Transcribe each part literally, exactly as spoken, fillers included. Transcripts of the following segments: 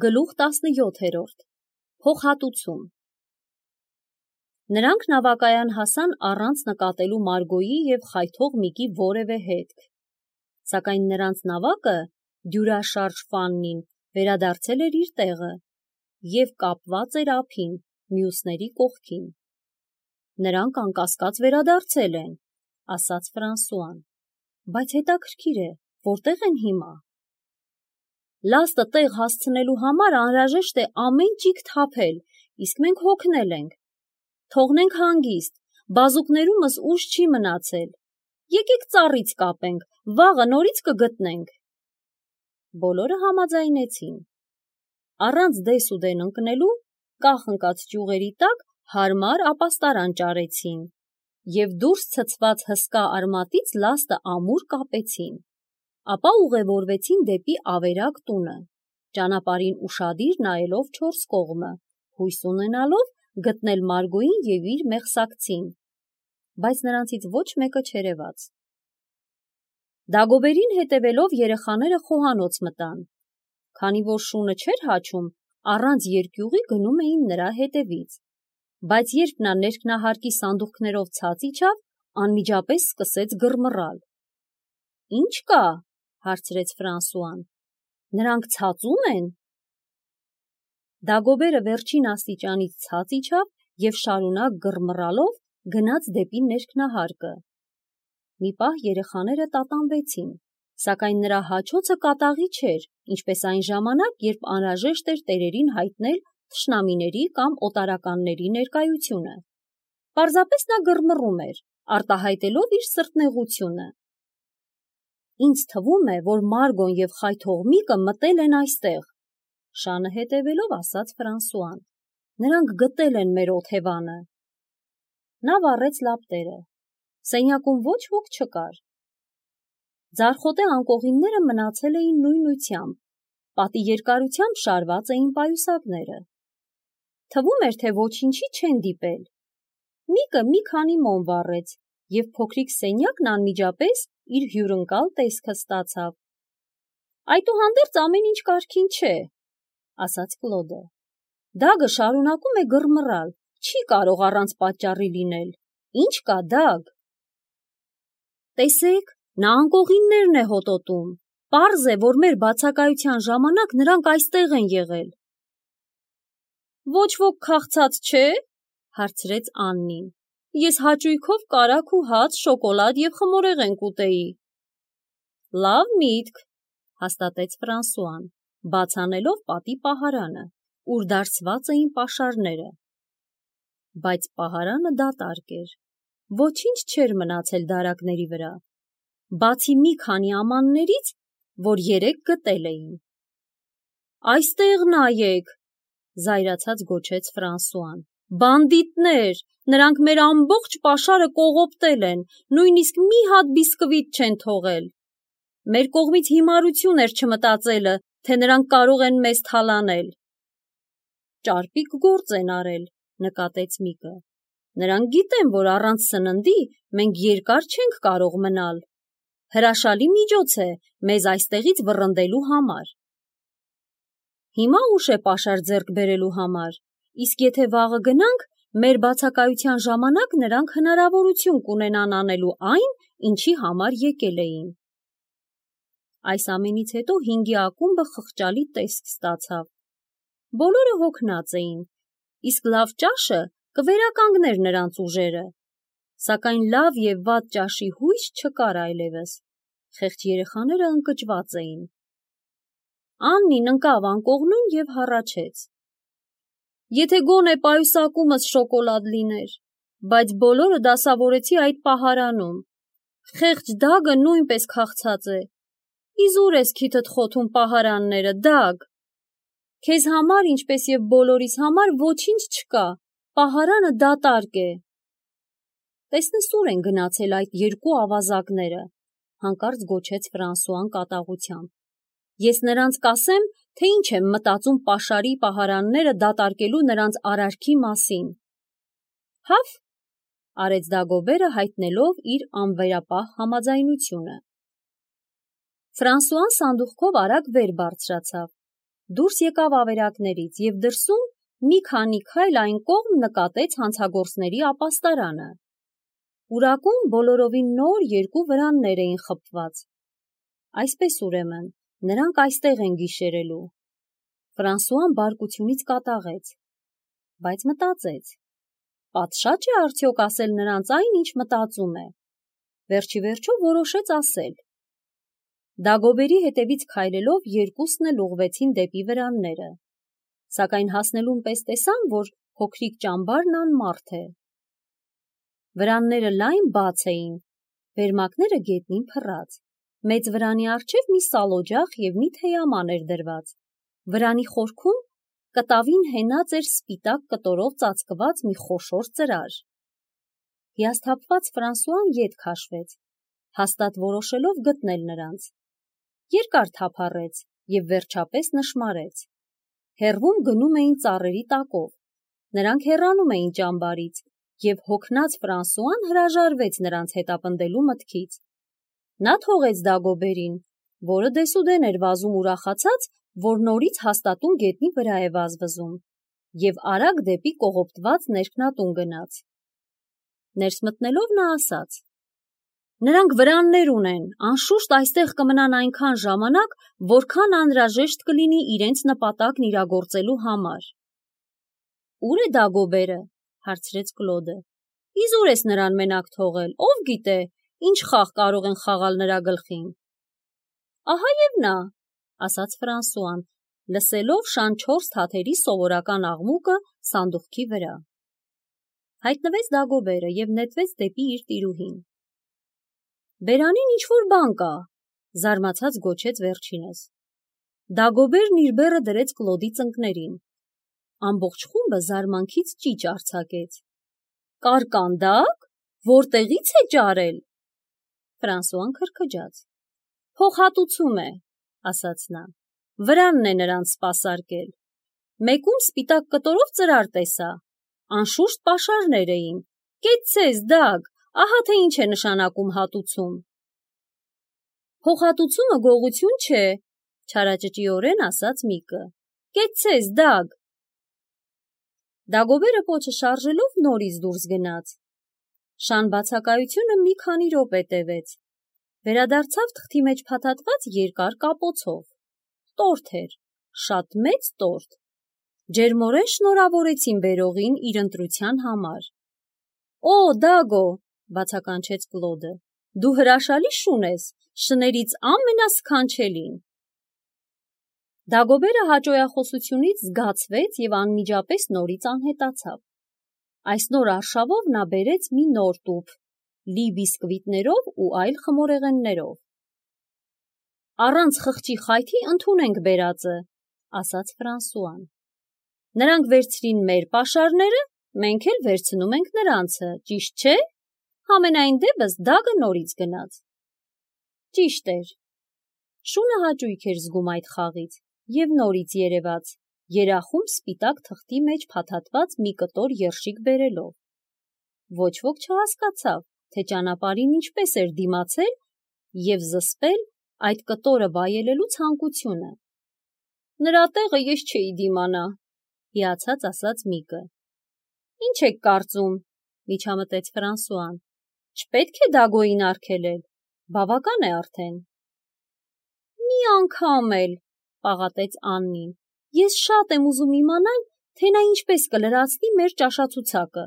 Գլուխ տասնյոթերորդ Փոխհատուցում Նրանք նավակայան հասան առանց նկատելու Մարգոյի և խայթող Միկի որևէ հետք, սակայն նրանց նավակը, դյուրաշարժ Ֆաննին, վերադարձել էր իր տեղը և կապված էր ափին, մյուսների կողքին։ Նրանք անկասկած վերադարձել են, ասաց Ֆրանսուան, բայց հետաքրքիր է, որտեղ են հիմա։ Լաստը տեղ հասցնելու համար անհրաժեշտ է ամեն ճիգ թափել, իսկ մենք հոգնել ենք։ Թողնենք հանգիստ, բազուկներումս ուժ չի մնացել։ Եկեք ծառից կապենք, վաղը նորից կգտնենք։ Բոլորը համաձայնեցին։ Առանց դես ու դեն ընկնելու, կախ ընկած ճյուղերի տակ հարմար ապաստարան ճարեցին և դուրս ցցված հսկա արմատից լաստը ամուր կապեցին, ապա ուղևորվեցին դեպի ավերակ տունը, ճանապարհին ուշադիր նայելով չորս կողմը, հույս ունենալով գտնել Մարգոյին և իր մեղսակցին, բայց նրանցից ոչ մեկը չերևաց։ Դագոբերին հետևելով երեխաները խոհանոց մտան, քանի որ շունը չէր հաչում, առանց երկյուղի գնում էին նրա հետևից, բայց երբ նա ներքնահարկի սանդուղքներով ցած իջավ, անմիջապես սկսեց գռմռալ։ Ի՞նչ կա, հարցրեց Ֆրանսուան, նրանք ցածո՞ւմ են։ Դագոբերը վերջին աստիճանից ցած իջավ և շարունակ գռմռալով գնաց դեպի ներքնահարկը։ Մի պահ երեխաները տատանվեցին, սակայն նրա հաչոցը կատաղի չէր, ինչպես այն ժամանակ, երբ անհրաժեշտ էր տերերին հայտնել թշնամիների կամ օտարականների ներկայությունը։ Պարզապես նա գռմռում էր, արտահայտելով իր սրտնեղությունը։ Ինձ թվում է, որ Մարգոն և խայթող Միկը մտել են այստեղ, շանը հետևելով ասաց Ֆրանսուան։ Նրանք գտել են մեր օթևանը։ Նա վառեց լապտերը։ Սենյակում ոչ ոք չկար։ Ձարխոտե անկողինները մնացել էին նույնությամբ, պատի երկարությամբ շարված էին պայուսակները։ Թվում էր, թե ոչինչի չեն դիպել։ Միկը մի քանի մոմ վառեց, և փոքրիկ սենյակն անմիջապես իր հյուրընկալ տեսքը ստացավ։ Այդուհանդերձ ամեն ինչ կարգին չէ, ասաց Կլոդը։ Դագը շարունակում է գռմռալ, չի կարող առանց պատճառի լինել։ Ի՞նչ կա, Դագ։ Տեսեք, նա անկողիններն է հոտոտում։ Պարզ է, որ մեր բացակայության ժամանակ նրանք այստեղ են եղել։ Ոչ ոք քաղցած չէ, հարցրեց Աննին։ Ես հաճույքով կարագ ու հաց, շոկոլադ և խմորեղեն կուտեի։ Լավ միտք, հաստատեց Ֆրանսուան, բաց անելով պատի պահարանը, ուր դարսված էին պաշարները։ Բայց պահարանը դատարկ էր։ Ոչինչ չէր մնացել դարակների վրա, բացի մի քանի ամաններից, որ երեկ գտել էին։ Այստեղ նայեք, զայրացած գոչեց Ֆրանսուան։ Բանդիտներ, նրանք մեր ամբողջ պաշարը կողոպտել են, նույնիսկ մի հատ բիսկվիտ չեն թողել։ Մեր կողմից հիմարություն էր չմտածելը, թե նրանք կարող են մեզ թալանել։ Ճարպիկ գործ են արել, նկատեց Միկը։ Նրանք գիտեն, որ առանց սննդի մենք երկար չենք կարող մնալ։ Հրաշալի միջոց է մեզ այստեղից վռնդելու համար։ Հիմա ուշ է պաշար ձեռք բերելու համար, իսկ եթե վաղը գնանք, մեր բացակայության ժամանակ նրանք հնարավորություն կունենան անելու այն, ինչի համար եկել էին։ Այս ամենից հետո հինգի ակումբը խղճալի տեսք ստացավ։ Բոլորը հոգնած էին, իսկ լավ ճաշը կվերականգներ նրանց ուժերը, սակայն լավ և վատ ճաշի հույս չկար այլևս, խեղճ երեխաները ընկճված էին։ Աննին ընկավ անկողնում և հառաչեց. Եթե գոնե պայուսակումս շոկոլադ լիներ, բայց բոլորը դասավորեցի այդ պահարանում։ Խեղճ Դագը նույնպես քաղցած է։ Իզուր ես քիթդ խոթում պահարանները, Դագ։ Քեզ համար, ինչպես և բոլորիս համար, ոչինչ չկա, պահարանը դատարկ է։ Տեսնես ուր են գնացել այդ երկու ավազակները, հանկարծ գոչեց Ֆրանսուան կատաղությամբ։ Ես նրանց կասեմ, թե ինչ եմ մտածում պաշարի պահարանները դատարկելու նրանց արարքի մասին։ Հավ, արեց Դագոբերը հայտնելով իր անվերապահ համաձայնությունը։ Ֆրանսուան սանդուղքով արագ վեր բարձրացավ, Դուրս եկավ ավերակներից և դրսում մի քանի քայլ այն կողմ նկատեց հանցագործների ապաստարանը։ Պուրակում բոլորովին նոր երկու վրաններ էին խփված։ Այսպես ուրեմն, նրանք այստեղ են գիշերելու։ Ֆրանսուան բարկությունից կատաղեց, բայց մտածեց. պատշաճ է արդյոք ասել նրանց այն, ինչ մտածում է։ Վերջիվերջո որոշեց ասել։ Դագոբերի հետևից քայլելով երկուսն էլ ուղղվեցին դեպի վրանները, սակայն հասնելուն պես տեսան, որ փոքրիկ ճամբարն անմարդ է։ Վրանները լայն բաց էին, վերմակները գետնին փռած, մեծ վրանի առջև մի սալօջախ և մի թեյաման էր դրված, վրանի խորքում կտավին հենած էր սպիտակ կտորով ծածկված մի խոշոր ծրար։ Հիասթափված Ֆրանսուան ետ քաշվեց, հաստատ որոշելով գտնել նրանց։ Երկար թափառեց և վերջապես նշմարեց։ Հեռվում գնում էին ծառերի տակով, նրանք հեռանում էին ճամբարից, և հոգնած Ֆրանսուան հրաժարվեց նրանց հետապնդելու մտքից։ Նա թողեց Դագոբերին, որը դեսուդեն էր վազում ուրախացած, որ նորից հաստատուն գետնի վրա է վազվզում, և արագ դեպի կողոպտված ներքնատուն գնաց։ Ներս մտնելով նա ասաց. «Նրանք վրաններ ունեն, անշուշտ այստեղ կմնան այնքան ժամանակ, որքան անհրաժեշտ կլինի իրենց նպատակն իրագործելու համար»։ «Ո՞ւր է Դագոբերը» հարցրեց Կլոդը։ «Իզուր ես նրան մենակ թողել, ով գիտե, ինչ խաղ կարող են խաղալ նրա գլխին»։ «Ահա և նա», ասաց Ֆրանսուան, լսելով շանչորս թաթերի սովորական աղմուկը սանդուղքի վրա։ Հայտնվեց Դագոբերը և նետվեց դեպի իր տիրուհին։ «Բերանին ինչ-որ բան կա», զարմացած գոչեց վերջինս։ Դագոբերն իր բեռը դրեց Կլոդի ծնկներին։ Ամբողջ խումբը զարմանքից ճիչ արձակեց։ «Կարկանդա՞կ, որտեղի՞ց է ճարել»։ Ֆրանսուան քրքջաց։ «Փոխհատուցում է», ասաց նա։ «Վրանն է նրանց սպասարկել։ Մեկում սպիտակ կտորով ծրար տեսա, անշուշտ պաշարներ էին։ Կեցցես, Դագ, ահա թե ինչ է նշանակում հատուցում»։ «Փոխհատուցումը գողություն չէ», չարաճճիորեն ասաց մեկը։ «Կեցցես, Դագ»։ Դագոբերը պոչը շարժելով նորից դուրս գնաց։ Շան բացակայությունը մի քանի րոպե տևեց։ Վերադարձավ թղթի մեջ փաթաթված երկար կապոցով։ Տորթ էր, շատ մեծ տորթ։ Ջերմորեն շնորհավորեցին բերողին իր ընտրության համար։ «Օ, Դագո», բացականչեց Կլոդը, «դու հրաշալի շուն ես, շներից ամենասքանչելին»։ Դագոբերը հաճոյախոսությունից զգացվեց և անմիջապես նորից անհետացավ։ Այս նոր արշավով նա բերեց մի նոր տուփ, լի բիսկվիտներով ու այլ խմորեղեններով։ «Առանց խղճի խայթի ընդունենք բերածը», ասաց Ֆրանսուան։ «Նրանք վերցրին մեր պաշարները, մենք էլ վերցնում ենք նրանցը, ճիշտ չէ՞։ Համենայն դեպս Դագը նորից գնաց»։ Ճիշտ էր։ Շունը հաճույք էր զգում այդ խաղից և նորից երևաց, երախում սպիտակ թղթի մեջ փաթաթված մի կտոր երշիկ բերելով։ Ոչ ոք չհասկացավ, թե ճանապարհին ինչպես էր դիմացել և զսպել այդ կտորը վայելելու ցանկությունը։ «Նրա տեղը ես չէի դիմանա», հիացած ասաց մեկը։ «Ինչ եք կարծում», միջամտեց Ֆրանսուան, «չպետք է Դագոյին արգելել, բավական է արդեն»։ «Մի անգամ էլ», պաղատեց Աննին, «ես շատ եմ ուզում իմանալ, թե նա ինչպես կլրացնի մեր ճաշացուցակը»։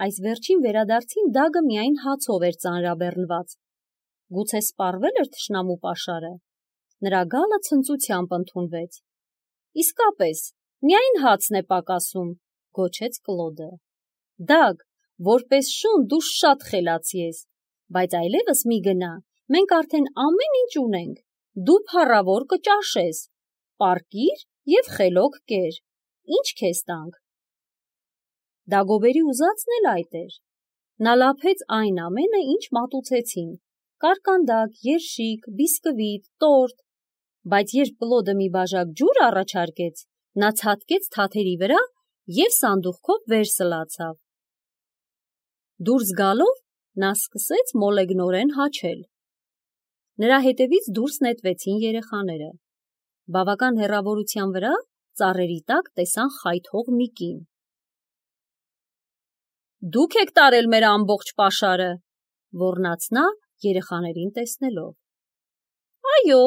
Այս վերջին վերադարձին Դագը միայն հացով էր ծանրաբեռնված։ Գուցե սպառվել էր թշնամու պաշարը։ Նրա գալը ցնծությամբ ընդունվեց։ «Իսկապես, միայն հացն է պակասում», գոչեց Կլոդը։ «Դագ, որպես շուն դու շատ խելացի ես, բայց այլևս մի գնա, մենք արդեն ամեն ինչ ունենք, դու փառավոր կճաշես, պառկիր և խելոք կեր, ինչ քեզ տանք»։ Դագոբերի ուզածն էլ այդ էր։ Նա լափեց այն ամենը, ինչ մատուցեցին՝ կարկանդակ, երշիկ, բիսկվիտ, տորթ, բայց երբ Կլոդը մի բաժակ ջուր առաջարկեց, նա ցատկեց թաթերի վրա և սանդուղքով վեր սլացավ։ Դուրս գալով նա սկսեց մոլեգնորեն հաչել։ Նրա հետևից դուրս նետվեցին երեխաները։ Բավական հեռավորության վրա ծառերի տակ տեսան խայթող մի կին։ Դուք եք տարել մեր ամբողջ պաշարը, ոռնաց նա երեխաներին տեսնելով։ Այո,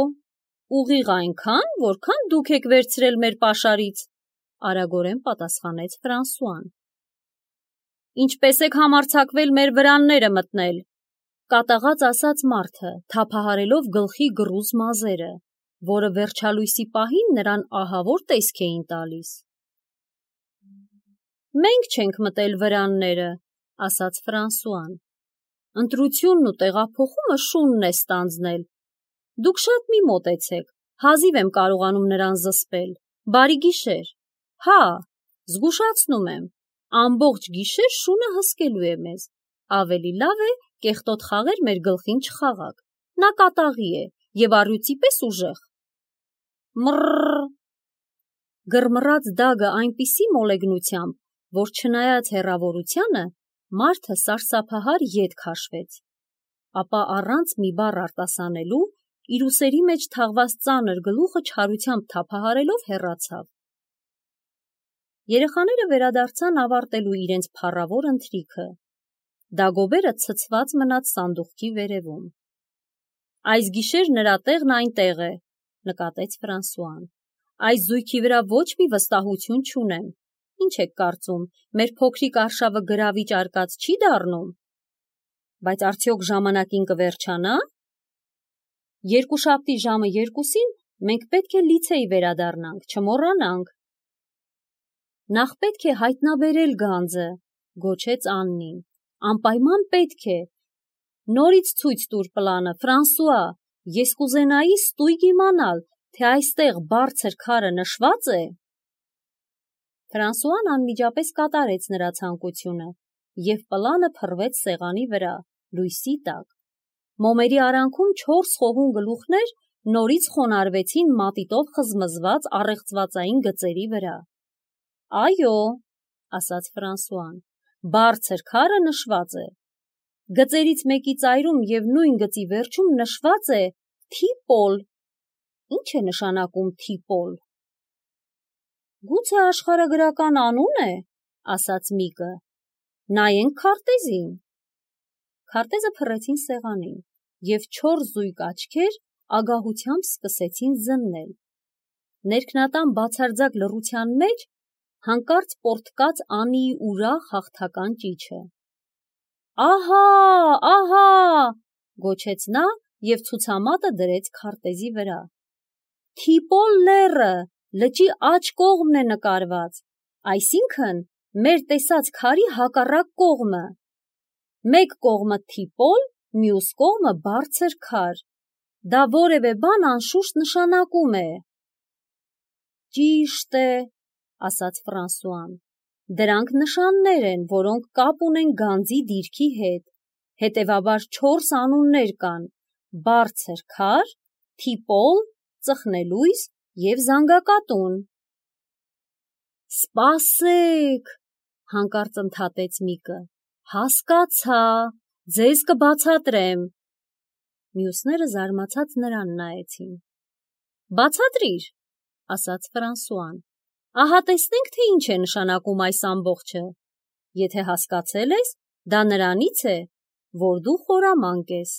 ուղիղ այնքան, որքան դուք եք վերցրել մեր պաշարից, արագորեն պատասխանեց Ֆրանսուան։ Ինչպես եք համարձակվել մեր վրանները մտնել, կատաղած ասաց մարդը, թափահարելով գլխի գրուզ մազերը, որը վերջալույսի պահին նրան ահավոր տեսք էին տալիս։ Մենք չենք մտել վրանները, ասաց Ֆրանսուան։ Ընտրությունն ու տեղափոխումը շունն է ստանձնել։ Դուք շատ մի մոտեցեք, հազիվ եմ կարողանում նրան զսպել։ Բարի գիշեր։ Հա, զգուշացնում եմ, ամբողջ գիշեր շունը հսկելու է մեզ։ Ավելի լավ է կեղտոտ խաղեր մեր գլխին չխաղաք։ Նա կատաղի է եւ առյուծի պես ուժեղ։ Մռռ։ Գրմռած դագը այնպիսի մոլեգնությամբ, որ չնայած հեռավորությանը, մարդը սարսափահար ետ քաշվեց, ապա առանց մի բառ արտասանելու իր ուսերի մեջ թաղված ծանր գլուխը չարությամբ թափահարելով հեռացավ։ Երեխաները վերադարձան ավարտելու իրենց փառավոր ընթրիքը։ Դագոբերը ցցված մնաց սանդուղքի վերևում։ Այս գիշեր նրա տեղն այնտեղ է, նկատեց Ֆրանսուան։ Այս զույգի վրա ոչ մի վստահություն չունեմ։ Ինչ եք կարծում, մեր փոքրիկ արշավը գրավիչ արկած չի դառնում։ Բայց արդյոք ժամանակին կվերջանա։ Երկուշաբթի ժամը երկուսին մենք պետք է լիցեյ վերադառնանք, չմոռանանք։ Նախ պետք է հայտնաբերել գանձը, գոչեց Աննին։ Անպայման պետք է։ Նորից ցույց տուր պլանը, Ֆրանսուա, ես կուզենայի ստույգ իմանալ, թե այստեղ բարձր քարը նշված է։ Ֆրանսուան անմիջապես կատարեց նրա ցանկությունը, և պլանը փռվեց սեղանի վրա, լույսի տակ։ Մոմերի արանքում չորս խոհուն գլուխներ նորից խոնարհվեցին մատիտով խզմզված առեղծվածային գծերի վրա։ Այո, ասաց Ֆրանսուան, բարձր քարը նշված է։ Գծերից մեկի ծայրում և նույն գծի վերջում նշված է Թիպոլ։ Ինչ է նշանակում Թիպոլ։ Գուցե աշխարհագրական անուն է, ասաց միկը։ Նայենք քարտեզին։ Քարտեզը փռեցին սեղանին, և չորս զույգ աչքեր ագահությամբ սկսեցին զննել։ Ներքնատան բացարձակ լռության մեջ հանկարծ պոռթկաց Անիի ուրախ հաղթական ճիչը։ Ահա, ահա, գոչեց նա և ցուցամատը դրեց քարտեզի վրա։ Թիպոլ լեռը լճի աջ կողմն է նկարված, այսինքն մեր տեսած քարի հակառակ կողմը։ Մեկ կողմը Թիպոլ, մյուս կողմը բարձր քար։ Դա որևէ բան անշուշտ նշանակում է։ Ճիշտ է, ասաց Ֆրանսուան։ Դրանք նշաններ են, որոնք կապ ունեն գանձի դիրքի հետ։ Հետևաբար չորս անուններ կան՝ բարձր քար, Թիպոլ, ծխնելույս և զանգակատուն։ Սպասեք, հանկարծ ընդհատեց միկը, հասկացա, ձեզ կբացատրեմ։ Մյուսները զարմացած նրան նայեցին։ Բացատրիր, ասաց Ֆրանսուան։ Ահա տեսնենք, թե ինչ է նշանակում այս ամբողջը։ Եթե հասկացել ես, դա նրանից է, որ դու խորամանկ ես։